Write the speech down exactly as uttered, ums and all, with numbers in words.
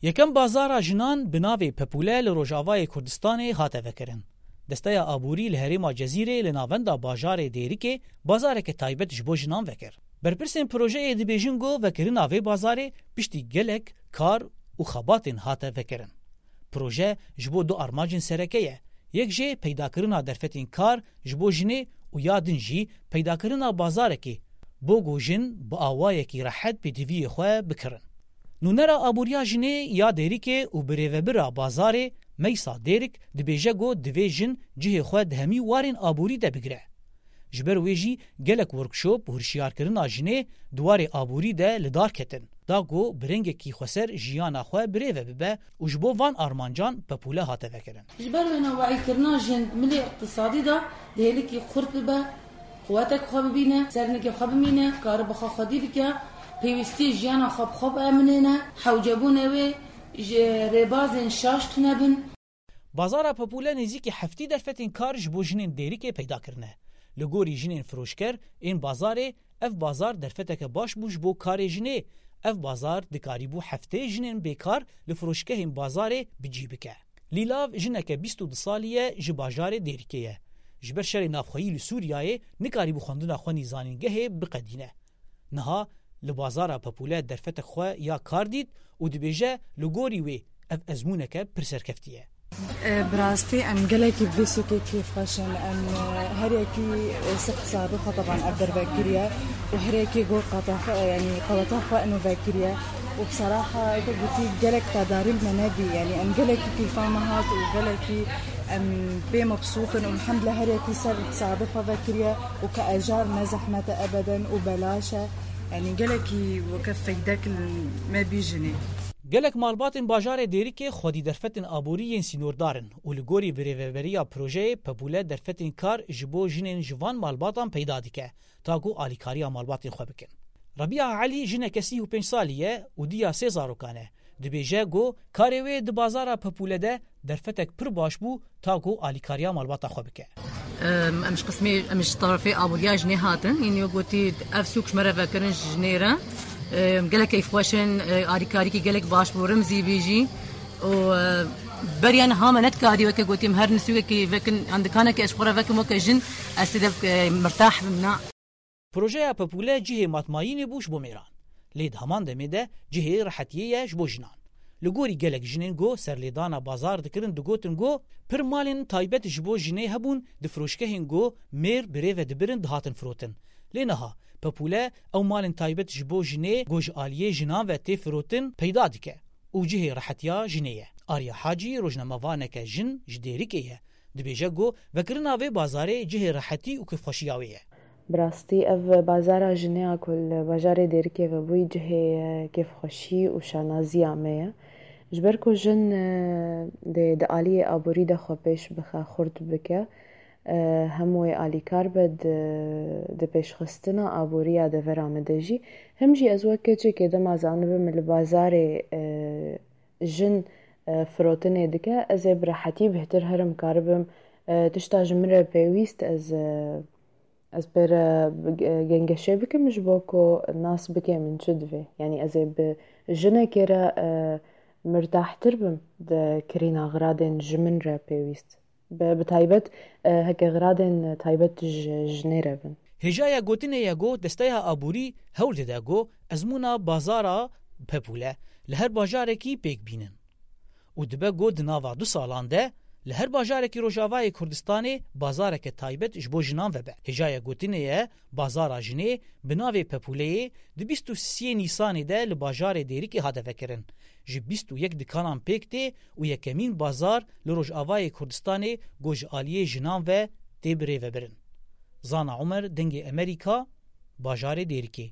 Yekem bazara jinan bi navê Pepûle li Rojavayê Kurdistanê hate vekirin. Desteya Aborî li herêma Cezîrê li navenda bajarê Dêrikê bazareke taybet ji bo jinan vekir. Berpirsên projeyê dibêjin ku vekirina vê bazarê piştî gelek kar û xebatên hate vekirin. Proje ji bo du armancên sereke ye. Yek jê peydakirina derfetên kar ji bo jinê û ya din jî peydakirina bazarekê bo ku jin bi awayekî rehet pêdiviyê xwe bikirin. Nûnera Aboriya Jinê ya Dêrikê û birêvebira bazarê Meysa Dêrik dibêje ku divê jin cihê xwe di hemî warên aborî de bigire. Ji ber wê jî gelek workshop û hişyarkirina jinê di warê aborî de li dar ketin, da ku bi rengekî xweser jiyana xwe birêve bibe û ji bo van armancan Pepûle hate vekirin. Ji ber wê navahîkirina jin milê iqtisadî de di hêlikî xurt bibe, quwetek xwe bibîne, sernikê xwe bimîne, karibe xwe xwedî bike, pêwîstiyê jiyana xwe bi xwe biemînêne, hewcebûnê wê ji rêbazên şaş tune bin. Bazara Pepûle nêzîkî heftî derfetên kar ji bo jinên Dêrikê peyda kirine. Li gorî jinên firoşker ên bazarê, ev bazar derfeteke baş bû ji bo karê jinê. Ev bazar dikarîbû heftê jinên bêkar li firoşgehên bazarê bi cî bike. Lîlav jineke bîst û du salî ye ji bajarê Dêrikê ye. Ji ber şerê navxweyî li Sûriyeyê nikarîbû xwendina xwe nî zanîngehê biqedîne. Niha li bazara Pepûle derfetek xwe ya kar dît û dibêje li gorî wê ev ezmûneke pir serkeftî ye. E, bi rastî em gelekî bi vê sûkê kêfxweş in. Em, e, her yekî, e, ser hesabê xwe teban ev derve kiriye û her yekî got qata xwe, e, yanî qeweta xwe ino vekiriye û bi seraha weke gotî gelek tedarî li me nebî. Yanî em gelekî kêfa me hat û gelekî em pê mebsût in û elhemdulillah her yekî ser hesabê xwe vekiriye û ke ejar ne zehmet e ebeden û belaş e. Yanî gelekî weke feydek li me bî jinê. Gelek malbatên bajarê Dêrikê xwedî derfetên aborî yên sînordar in û li gorî birêveberiya projeyê Pepûle derfetên kar ji bo jinên ji van malbatan peyda dike, ta ku alîkariya malbatên xwe bikin. Rebiya Elî jineke sî û pênc salî ye û diya sê zarokan e. Dibêje ku karê wê di bazara Pepûle de derfetek pir baş bû, ta ku alîkariya malbata xwe bike. Em, em ji qismê, em ji tarafê aboriya jinê hatin. Înî gotî ev sûk ji me re vekirin ji jinê re. Em, gelek keyfxweş in, e, alîkarîkî gelek baş bû, rimzî bî jî. Û, e, beriya niha me nedikarî weke gotî em her nisûkekî vekin, yan dikanekê ez ji xwe re vekim weke jin, ez tê de, e, mirtah bim, na. Projeya Pepûle cihê matmayînê bû ji bo mêran. Lê di heman demê de cihê rehetiyê ye ji bo jinan. Li gorî gelek jinên ku serlêdana bazar dikirin digotin ku pir malên taybet ji bo jinê hebûn di firoşgehên ku mêr bi rê ve dibirin dihatin firotin. Lê niha Pepûle ew malên taybet ji bo jinê ku ji aliyê jinan ve tê firotin peyda dike û cihê rehetiya jinê ye. Arya Hacî rojnamevaneke jin ji Dêrikê ye. Dibêje ku vekirina vê bazarê cihê rehetî û kêfxweşiya wê ye. Bi rastî ev bazara jinê ya ku li bajarê Dêrikê vebûyî cihê, e, kêfxweşî û şanaziya me ye. Ji ber ku jin, e, dê di aliyê aborî de xwe pêş bixe, xurt bike, e, hem wê alîkar be di, di pêşxistina aboriya devera me de jî. Hem jî ez wek keçekê dema zanibim li bazarê, e, jin, e, firotinê dike, ez ê bi rehetî bêhtir herim karibim, e, tişta ji min re pêwîst ez, e, ez pê re, e, gengeşê bikim ji bo ku nas bike min çi divê. Yanî ez ê bi jinekê re, e, mirtahtir bim di kirîna xiradên ji min re pêwîst. Bi, bi taybet, e, heke xiradên taybet ji jinê re bin. Hêjaya gotinê ye ku Desteya Aborî hewl dide ku ezmûna bazara Pepûle li her bajarekî pêk bînin. Û dibe ku di nava du salan de li her bajarekî Rojavayê Kurdistanê bazareke taybet ji bo jinan vebe. Hêjaya gotinê ye bazara jinê bi navê Pepûleyê di bîst û sê Nîsanê de li bajarê Dêrikê hate vekirin. Ji bîst û yek dikanan pêk tê û yekemîn bazar li Rojavayê Kurdistanê ku ji aliyê jinan ve tê birêvebirin. Zana Umer, Dengê Emerîka, bajarê Dêrikê.